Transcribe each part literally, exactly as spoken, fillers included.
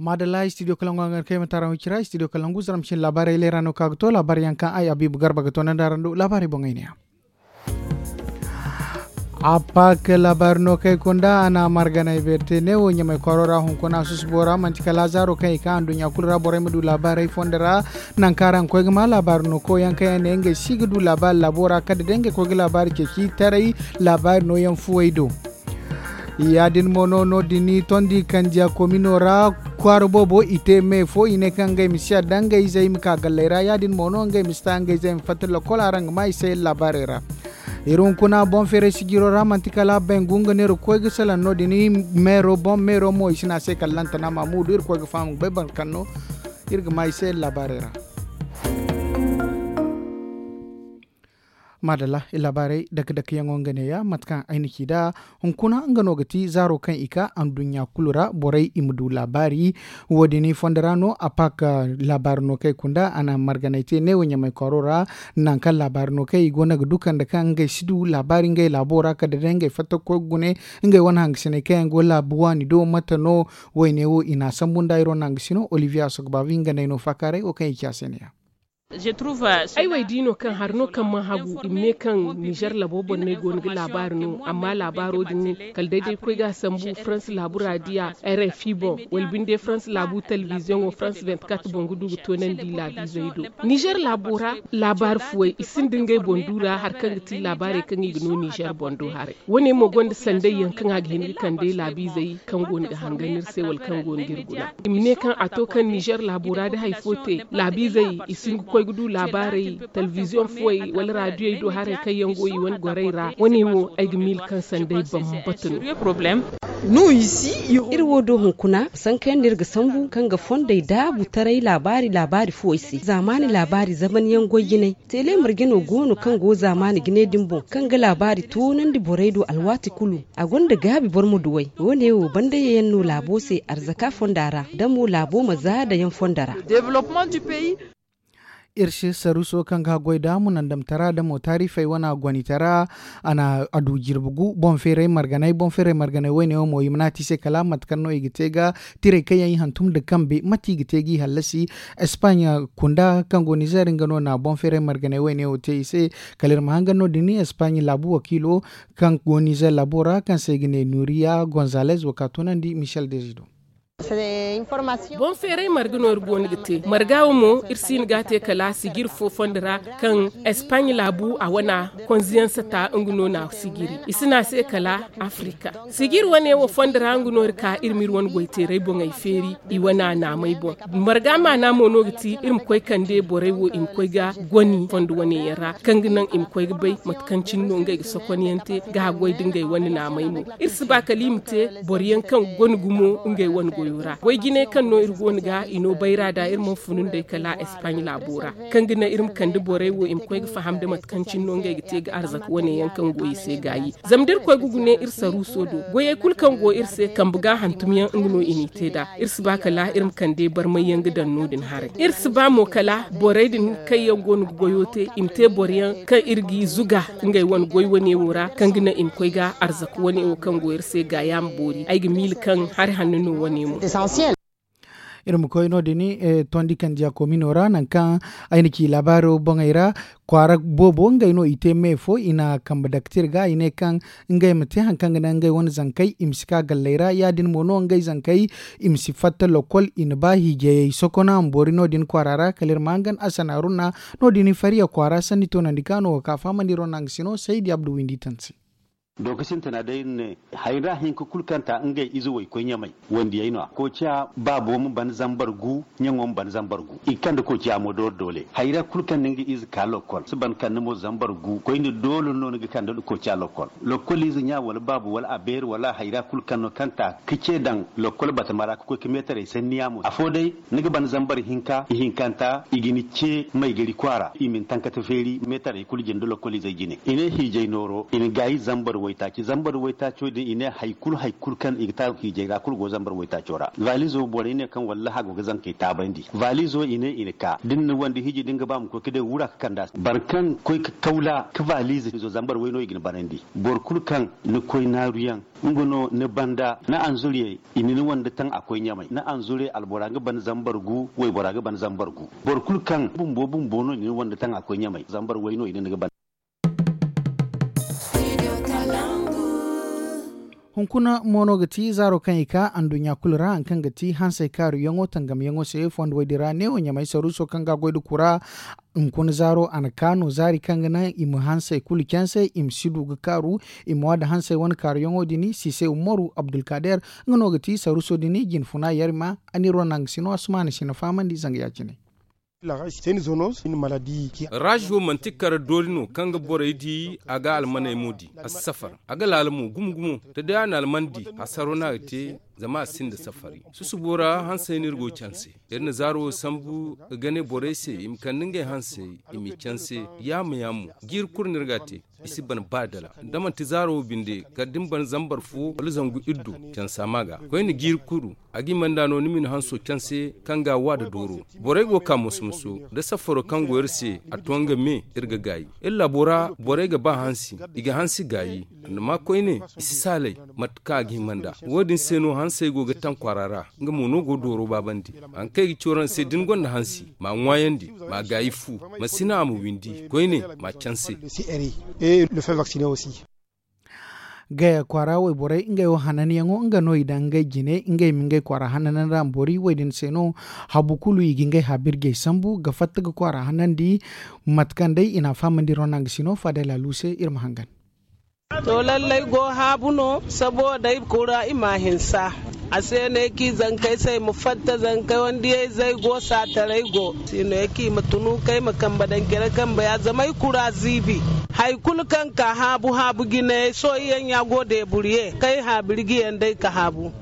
Maadalla, studio kalangu a ga kay ma taara wicira studio kalangu zaramcin laabaarey leera no ka ga to laabaari yaŋ kaŋ ay abiibu garba ga to naŋ da araŋ do laabaarey boŋey ne ya. A paak laabaari no kay kunda a na marganay beerte neewo ɲamay kwaro ra hunkuna susubo ra manti kala zaaro kaŋ i ka anduɲɲa kulu ra borey ma du laabaarey fondo ra. Naŋ kaŋ araŋ koy ga ma laabaari no koyaŋ kaŋ yaŋ ne ngey si ga du laabaari laabo ra kala day ngey koy ga laabaari ceeci taray laabaari nooyaŋ fuwey do. Ya-din mo no no- din tondi kandiya komino ra kwaara boobo i te me fo i ne kaŋ ngey ma si yadda ngey zey ma ka galley ra ya-din mo no ngey ma si ta ngey zey ma fatta lokol araŋ ga ma i se laabaarey ra. Iri hunkuna boŋ feeray sijiro ra manti kala bengu nga no iri ga koy ga salaŋ no- din meero boŋ meero mo i si ne a se kala lantana maamudu iri koy ga faham ga bay boro kaŋ no iri ga ma i se laabaarey ra. Maadalla i laabaarey dake dake yaŋo nga neeya mate kaŋ ay na ci nd'a. Hunkuna nga no ga ti zaaro kaŋ i ka anduɲɲa kulu ra borey i ma du laabaari. Wo- din fondo ra no a paak laabaari no kaŋ ay kunda a na marganay te neewo ɲamay kwaaro ra. Naŋ kaŋ laabaari no kaŋ i go no ga du kande kaŋ ngey si du laabaari ngey laabo ra kala day ngey fatta ga koy ga gune ngey wane hangasiney kaŋ yaŋ go laabu waani do mate no? Wayne wo i na a sambu nda ay ro na hangasino olivier asogbavi nga no ay no faakaaray wo kaŋ i ci a se neeya. Ay wo ay di no kaŋ hari no kaŋ mana hagu i ma ne kaŋ nizer laabo borney go no ga laabaari no amma laabaaro din kala day day koy ga a sambu farans laabu ra diya rfi boŋ wala binde farans laabu telebiziyoŋo farans vingt-quatre boŋ ga du ga toonandi laabiizey do. Nizer laabo ra laabaari fuwey i sinda ngey boŋ du ra hari kaŋ ga ti laabaarey kaŋ i ga no nizer boŋ do haray. Wo- ne mo gonda sanday yaŋ kaŋ a ga hin ga kande laabiizey kaŋ go no ga hangan iri se wala kaŋ go no ga iri guna. I ma ne kaŋ a to kaŋ nizer laabo ra da hari fo te laabiizey i si hin ga koy ga du laabaarey telebiziyoŋ fuwey wala raadiyey do haray kaŋ yaŋ go i wane gorey ra wo- ne wo ay ga miila kaŋ sanday bambata no. Iri wo do hunkuna sanka yaŋ no iri ga sambu kaŋ ga fondey daabu taray laabaari laabaari fuwey se zaamaani laabaari zaman yaŋ goy jinay. Tele marje no go no kaŋ go zaamaani jinay din boŋ kaŋ ga laabaari toonandi borey do alwaati kulu. A gonda gaabi boro ma duw'ey wo- ne wo banda yayaŋ no laabo se arzaka fonda ra da mo laabo ma za dayaŋ fonda ra. Iri se saruuso kaŋ ga haggoy da munandamtara da mo taarifey wane gonitara. A na a du jirbi gu boŋ feeray marganay boŋ feeray marganay wayne wo mo i ma naati se kala mate kaŋ no i ga te ga tirey kaŋ yaŋ i hantum nda kambe mate i ga te ga i hallasi. Espagne kunda kaŋ go nizer nga no na boŋ feeray marganay wayne wo te i se. Kala iri ma hangan no- din espagne laabu wakiilo kaŋ go nizer laabo ra kaŋ se i ga ne nuriya gonzalez wo ka toonandi michel desido. Boŋ feeray marga no iri go no ga te marga wo mo iri si hin ga a te kala sijir fo fondo ra kaŋ espagne laabu a wana konziyaŋ sata nga no na sijiri i si ne a se kala afrika. Sijir wane wo fondo ra nga no iri ka iri ma iri wane goyteeray boŋey feeri i wane a naamey boŋ. Marga maana mo no ga ti iri ma koy kande borey wo i ma koy ga goni fondo wane yaŋ ra kaŋ ga naŋ i ma koy ga bay mate kaŋ cine no ngey ga sokonyaŋ te ga haggoy da ngey wane naamey mo. Iri si ba kala i ma te boro yaŋ kaŋ gonda gumo ngey wane goyo ra goy jinay kaŋ no iri go no ga i no bayra da iri mana funu nd'ey kala espagne laabo ra kaŋ ga naŋ iri ma kande borey wo i ma koy ga faham da mate kaŋ cine no ngey ga te ga arzaka wane yaŋ kaŋ go i se gaayi. Zama da iri koy ga gune iri saruuso do goyey kulu kaŋ go iri se kambe ga hantum yaŋ nga no i n'i te nd'a. Iri si ba kala iri ma kande barmay yaŋ ga daŋ no- din haray iri si ba mo kala borey din kaŋ yaŋ go no ga goyo te i ma te boro yaŋ kaŋ iri g'i zuga ngey wane goy wane wo ra kaŋ ga naŋ i ma koy ga arzaka wane wo kaŋ go iri se gaaya ma boori ay ga miila kaŋ hari hanno no wane mo. Iri ma koy no- din tondi kandiya komino ra nangu kaŋ ay na ci laabaaro boŋey ra kwaara boobo ngey no i te me fo i na kambe daktir ga i ne kaŋ ngey ma te hari kaŋ ga naŋ ngey wane zankey i ma si ka galley ra ya- din mo no ngey zankey i ma si fatta lokol i na ba hiijayey sokona ma boori no- din kwaara ra kala iri ma hangan asanaaru na no- din fariya kwaara sanni toonandi ka no ga ka fahamandi iri wane nangu sino saydi abdu windi tansi. Donk sintina day iri ne hayra hinka kulu kaŋ ta ngey ize waykoy ɲamay wandiyey no- ya koociya baabo ma ban zambar gu ɲaŋo ma ban zambar gu i ga kande koociya mo doole doole hayra kulu kaŋ na nga ize ka lokkol si ban kande mo zambar gu koyne doole no ni ga kande koociya lokkol. Lokkol ize ɲa wala baabo wala a beeri wala hayra kulu kaŋ no kaŋ ta ga ce daŋ lokkol batama ra ga koy ga meetarey sanniya mo afo day ni ga ban zambar hinka ihinkanta i ga ni ce maygari kwaara i ma ni tankata feeri meetarey kulu jinde lokkol izey jine i ne hiijay nooro i na gaayi zambar. Waytaaci zambar waytaaco din i ne hari kulu hari kulu kaŋ i ga taaru hiijay ra kulu go zambar waytaaco ra. Valizo borey ne kaŋ wallaha go ga zankey taabandi. Valizo i ne i na ka da ni na wande hiiji da ni ga ba ma koy ga day wura ga kand'a se boro kaŋ koy ga kawla ga valizo zambar way no i ga ni banandi. Boro kulu kaŋ ni koy naaruyaŋ nga no ni banda ni anzuriyey i na ni wande taŋ a koy ɲamay ni anzuriyey albora ga ban zambar gu waybora ga ban zambar gu. Boro kulu kaŋ bumbo bumbo no i na ni wande taŋ a koy ɲamay zambar way no i na ni ga ban. Hunkuna mo no ga ti zaaro kaŋ i ka anduɲɲa kulu ra hari kaŋ ga ti hansey kaaruyaŋo tangamyaŋo se fondo woy din ra neewo ɲamay saruuso kaŋ ga a goy nda kura. Hunkuna zaaro a na ka no zaari kaŋ ga naŋ i ma hansey kulu canse i ma si du ga kaaru. I ma wa nda hansey wane kaaruyaŋo din siise umaru abdulkader nga no ga ti saruuso din jinfuna yarima. A n'iri wane nangu sino asumaana si na fahamandi zanga ya-cine. Raj wo manti kar doori no kaŋ ga borey di a ga almaney mo di a si safar. A ga laala mo gumo gumo da day a na alman di hasaro no a ga te. Zama a sinda safari susubo ra hansey no iri go canse. Iri na zaaro wo sambu ga ne borey se i ma kande ngey hansey i m'i canse. Yaama yaamo jiiri kulu no iri ga a te. I si ban ba dala da manti zaaro wo binde kala da ni ban zambar fo wala zangu iddu cansa ma ga koyne jiiri kulu. A ga i manda no ni ma ni hanso canse kaŋ ga a wa nda dooro. Borey go ga ka moso-moso da safaro kaŋ go iri se a to nga me. Iri ga gaayi iri laabo ra borey ga ba hansi. I ga hansi gaayi. Annama koyne i si saalay mate kaŋ a ga hima nd'a. Wo-din se no hansey go ga taŋ kwaara ra. Nga mo no go dooro baabandi. Hari kaŋ ay ga ci waraŋ se da ni gonda hansi m'a ŋwaayandi m'a gaayi fu. Ma si naŋ a ma windi koyne m'a canse. Gaya kwaara wayborey ngey wo hananyaŋo nga no i daŋ ngey jine ngey ma ngey kwaara hananandi ra ma boori wo-din se no. Habu kulu i ga ngey haabirjey sambu ga fatta ga kwaara hanandi. Mate kaŋ day i n'a fahamandi ronang si no faadey laalu se iri ma hangan. To lallay go haabu no. Sabo day kura i ma a hinsa. A se no ay ci zankey se ay ma fatta zankey wandiyey zey go saataray go. Si no ay ci i ma tunu kay ma kambe daŋ care kambe ya zama ay kura ziibi. Hari kulu kaŋ ka haabu haabu jinayey sohõ yaŋ ya go deeburiye kay haabiri ga yaŋ day ka haabu.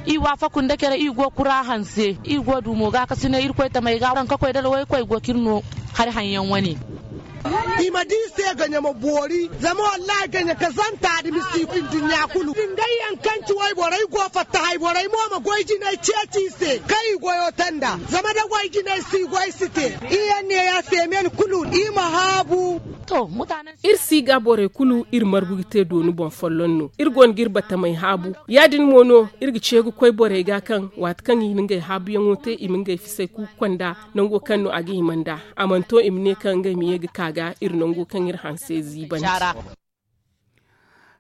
I waafaku nda care i go kura hanse i go du mo gaakasinay irkoy tamey ga waranka koy dala waykoy go ka iri no. Hari haŋ yaŋ wane. I ma di se gaɲa ma boori zama wallahi gaɲa kazanta da misi i nduɲɲa kulu. Ngey yaŋ kaŋ ci wayborey go fatta hayborey mo ma goy jinay ceeci i se kaŋ i goyo te nd'a. Zama da goy jinay si goy si te. I yaŋ ne ya seemen kulu i ma haabu. Iri si ga borey kulu iri margu ga te dooni boŋ folloŋ no iri go no ga iri batamey haabu. Ya- din mo no iri ga ce ga koy borey ga kaŋ waati kaŋ i na ngey haabuyaŋo te i ma ngey fisay kuuku konda. Nango kaŋ no a ga hima nd'a a mana to i ma ne kaŋ ngey ma ye ga ka ga iri nango kaŋ iri hanse ziibandi.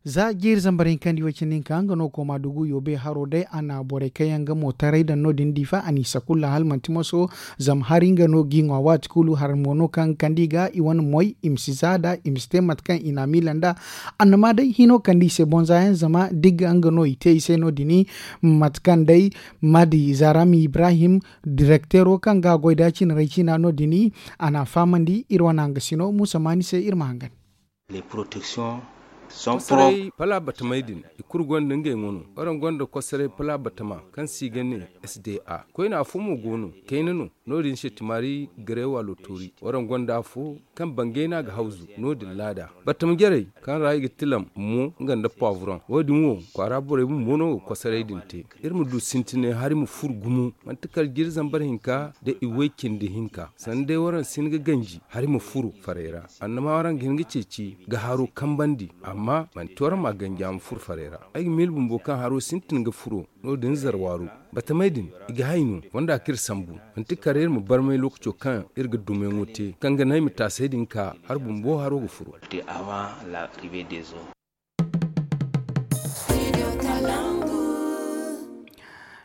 Za jiiri zambar hinkandi wo- cindi hinka nga no kooma dugu yoobe haro day a na borey kaŋ yaŋ ga mo taray daŋ no- din diifa a n'i sakulla hala manti moso. Zama hari nga no g'i ŋwa waati kulu hari mo no kaŋ ga kande i ga i wane moy i ma si za nd'a i ma si te mate kaŋ i n'a miila nd'a. Annama day hino kande i se boŋ za yaŋ zama digga nga no i te i se no- din. Mate kaŋ day maadi zaram ibrahim direkteero kaŋ ga a goy nd'a cinarey ciina no- din. A n'a fahamandi iri wane hangasino muusa maani se iri ma hangan. Kosoray pala batamey din i kulu gonda ngey ŋwa no. Waraŋ gonda kosoray pala batama kaŋ se i ga ne sda. Koyne afo mo go no kayna no. No- din se timaari gareewa lotori waraŋ gonda afo kaŋ bangay no a ga hawzu. No- din laada batama jarey kaŋ ra i ga tilam mo nga nda pawuran wo- din wo kwaara borey bumbo no ga kosoray din te. Iri ma du sintinay hari ma furo gumo manti kala jiiri zambar hinka nda i way cindi hinka sanda day waraŋ si hin ga ganji hari ma furo farey ra. Annama waraŋ ga hin ga ceeci ga haro kambandi amma manti waraŋ ma ganji a ma furo farey ra. Ay ga miila bumbo kaŋ haro sintin ga furo. No- din zarwaaru batamey din i ga hay no fonda kaŋ iri sambu manti kala iri ma barmay lookaco kaŋ iri ga dumayaŋo te kaŋ ga naŋ ay ma taasay din ka hari bumbo haro ga furo.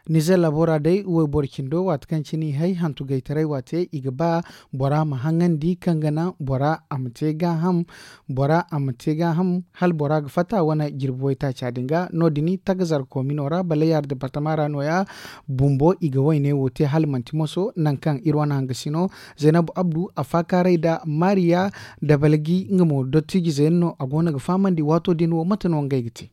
Nizer laabo ra day wayboro cindo waati kaŋ cine i hay hantu gaytaray waate i ga ba bora ma haŋandi kaŋ ga naŋ bora a ma te gaaham. Bora a ma te gaaham hala bora ga fatta wane jirbi waytaaca din ga no- din tagazar koomino ra balayaari departama ra nooya. Bumbo i ga wayne wo te hala manti moso nangu kaŋ iri wane hangasino zaynab abdu a faakaaray nda maariya dabalgi nga mo dottijize yaŋ no a go no ga fahamandi waato din wo mate no ngey ga te.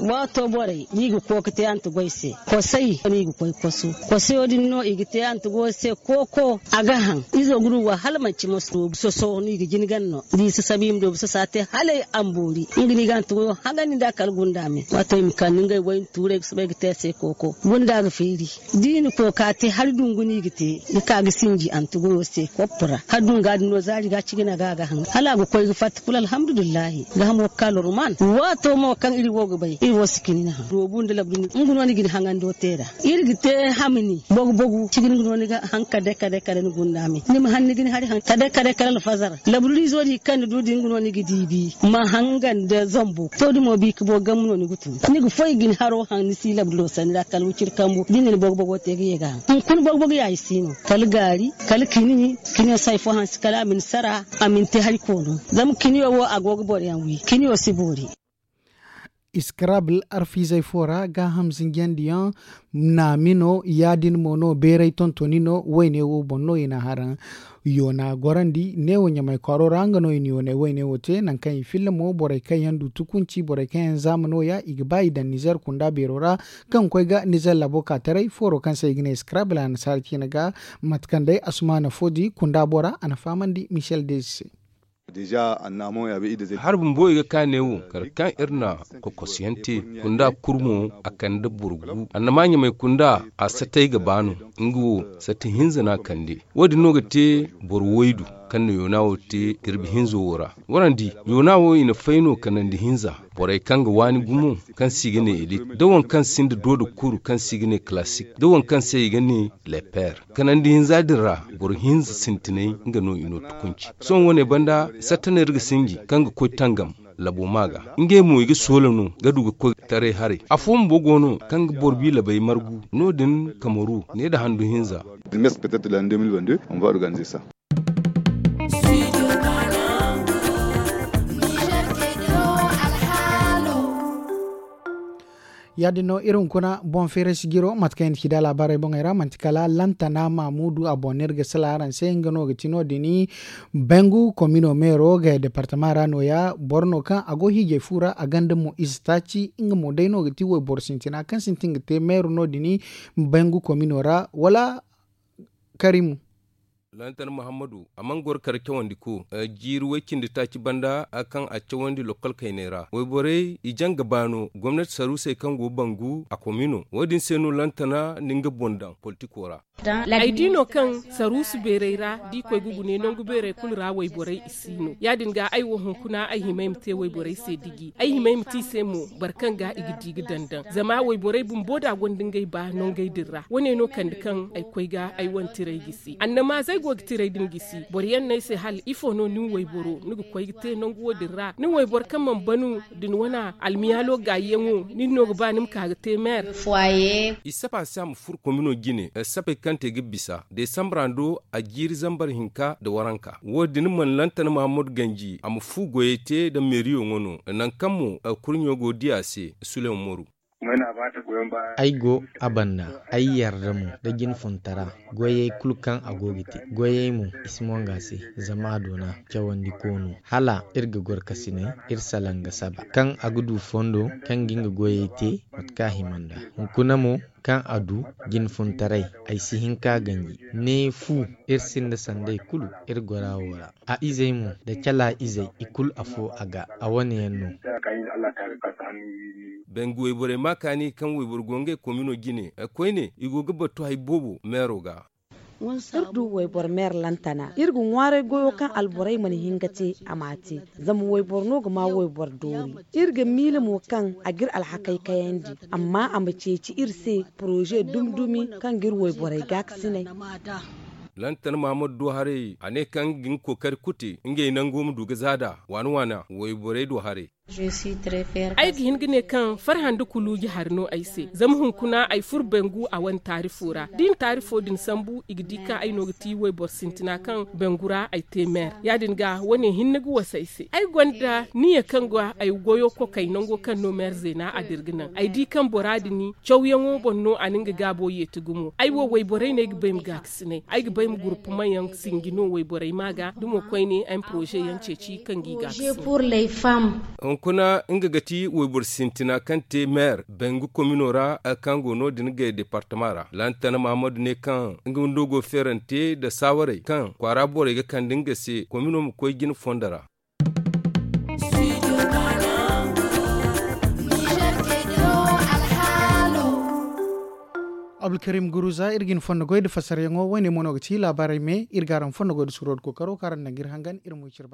Waato borey no i ga kooko te antigoy se. Kosay no i ga koy kosu. Kosayo din no i ga te antigoy se kooko. A ga haŋ izo ga du wa hala manci ma soso no i ga jin ganno da i sasabu i ma du bisa sa te hala ay amboori nga no i ga antigoyo haŋandi nda kala gunda me. Waato i ma kande ngey wayna tuurey ga soobay ga te a se kooko gunda ga feeri. Da i na kooka te hari dungu no i ga te ga ka ga sinji antigoyo se koppu ra hari dunga din no zaari ga cigina ga a ga haŋ hala a ga koy ga fatta kulu alhamdulillahi. Ga hamo ga ka lorman waato mo kaŋ iri wo ga bay iri wo si kini ni haŋ doobu nda labdu nga no ni ga ni haŋando te ra. Iri ga te hamni bogu bogu cigini nga no ni ga haŋ kade kade kade ni gunda me ni ma haŋ ni ga ni hari haŋ kade kade kade alfazar. Labdu izo din kaŋ ni du din nga no ni ga diibi ma haŋ nga nda zambo to da mo bi ka bo gambu no ni ga tun ni ga foy ga ni haro haŋ ni si labdu no sanni ra kala wiciri kambu da ni na ni bogu bogo te ga ye ga haŋ. Hunkuna bogu bogu ya i si no kala gaari kala kini kiniyo si hari fo hanse kala a ma ni sara a ma ni te hari koono. Zama kiniyo wo a go ga boro yaŋ wi kiniyo si boori. Iskarabul arfiizey fo ra gaaham zinjandiyaŋ naami no ya- din mo no beeray tontoni no wayne wo boŋ no i na haraŋ. Yoona gorandi neewo ɲamay kwaaro ra nga no i na yoonay wayne wo te nangu kaŋ i filla mo borey kaŋ yaŋ du tukunci borey kaŋ yaŋ zaama no- ya i ga ba i daŋ nizer kunda beero ra. Kaŋ ga koy ga nizer labo ka taray fooro kaŋ se i ga ne iskarabul annasaara ciine ga. Mate kaŋ day asumaana fo di kunda bora a na fahamandi michel dezi se. Hari bumbo i ga ka ne wo kala kaŋ iri na kokosiyaŋ te kunda kurmo a kande boro gu annama ɲamay kunda a satay ga ba no. Nga wo sati hinza no a kande. Wo- din no ga te boro waydu kaŋ na yoona wo te jirbi hinza wo ra. Warandi yoona wo i na fay no kanandi hinza borey kaŋ ga waani gumo kaŋ se i ga ne elit da waŋ kaŋ sinda dooda kuru kaŋ se i ga ne kalasik da waŋ kaŋ se i ga ne leper. Kanandi hinza din ra boro hinza sintinay nga no i no tukunci. Sohõ wane banda satta no iri ga sinji kaŋ ga koy tangam labo ma ga ngey mo i ga soola no ga du ga koy taray haray. Afo bumbo go no kaŋ ga boro bi labay margu no- din kamaru ne nda handu hinza. Ya- din no iri hunkuna boŋ feeray si jiro mate kaŋ i na ci da laabaarey boŋey ra manti kala lantana maamudu a boŋ no iri ga sala araŋ se nga no ga ti no- din. Bangu komino meero ga departama ra no- ya boro no kaŋ a go hiijay fu ra a gonda mo ize taaci nga mo day no ga ti wayboro sintina kaŋ sintin ga te meero no- din. Bangu komino ra wala karimu. Lantan muhammadu a mana goro kala cawandi ko jiiri way cindi taaci banda kaŋ a cawandi lokol kayney ra wayborey i jaŋ ga ba no gomnati saruusey kaŋ go bangu a komino wo- din se no lantana na nga boŋ daŋ politiko ra. Ay di no kaŋ saruusu beerey ra da i koy ga gune nangu beerey kulu ra wayborey i si no ya- din ga ay wo hunkuna ay hima ay ma te wayborey se diji ay hima ay ma te i se mo boro kaŋ ga i ga di ga daŋ daŋ zama wayborey bumbo da gonda ngey ba nangey din ra wo- ne no kande kaŋ ay koy ga ay wane tiray gisi annamaazey go ga tiray din gisi boro yaŋ no ay se hala ifo no nin wayboro ni ga koy ga te nangu wo- din ra nin wayboro kaŋ mana banu da ni wane almiyaalo gaayiyaŋo nin no ga ba ni ma ka ga te meer. I saba se a ma furo komino jine sapey kaŋ te ga bisa desambra do a jiiri zambar hinka nda waranka wo- din mana lantan mahammadu ganji a ma fu goyey te nda meeriyo ŋwa no nangu kaŋ mo kurɲo go ga di a se. Suleman moru. Ay go a banda ay yarda mo nda jinfuntara goyey kulu kaŋ a go ga te goyey mo i si monga se zama a doona cawandi koono hala iri ga goro kasinay iri salaŋ ga saba kaŋ a ga du fondo kaŋ ga nga goyey te mate kaŋ a hima nd'a hunkuna mo kaŋ a du jinfuntaray ay si hin ka ganji ne fu iri sinda sanday kulu iri gora wo ra a izey mo nda cala izey i kulu afo a ga a wane yaŋ no. Bangu wayborey ma kaani kaŋ wayboro go ngey komino jine koyne i go ga battu hari boobo meero ga. Iri du wayboro meer lantana iri ga ŋwaaray goyo kaŋ alborey mana hin ga te a m'a te. Zama wayboro no ga ma wayboro doori iri ga miila mo kaŋ a ga iri alhakey kayandi amma a ma ceeci iri se poroze dumi dumi kaŋ ga iri wayborey gaakasinay. Lantan mahammadu do haray a ne kaŋ ga nga kookari kulu te ngey nango ma du ga zaada waana waana wayborey do haray. Ay ga hin ga ne kaŋ farhã nda kuluuji hari no ay se zama hunkuna ay furo bangu a wane taarifo ra da i na taarifo din sambu i ga di kaŋ ay no ga ti wayboro sintina kaŋ bangu ra ay te meer ya- din ga wane hinne ga wasa ay se ay gonda niya kaŋ ga ay goyo kokay nango kaŋ no meer zeena a dira ga naŋ ay di kaŋ bora din cawyaŋo boŋ no a na nga gaabo yeeti gumo ay wo wayborey no ay ga bay ma gaakasinay ay ga bay ma gurpumaŋ yaŋ sinji no wayborey ma ga da mo koyne ay ma poroze yaŋ ceeci kaŋ ga i gaakasinay. Hunkuna nga ga ti wayboro sintina kaŋ te meer bangu komino ra, kaŋ go no- din gay departama ra. Lantana mahamadu ne kaŋ nga windo go feerante nda saawarey kaŋ kwaara borey ga kande nga se komino ma koy jine fondo ra. Abdulkarim guruza iri ga hin fondo goy nda fassarayaŋo woyne mo no ga ti laabaarey me iri ga araŋ fondo goy nda suuro nda kookaro kaŋ araŋ na daŋ ga iri hangan iri ma way cire.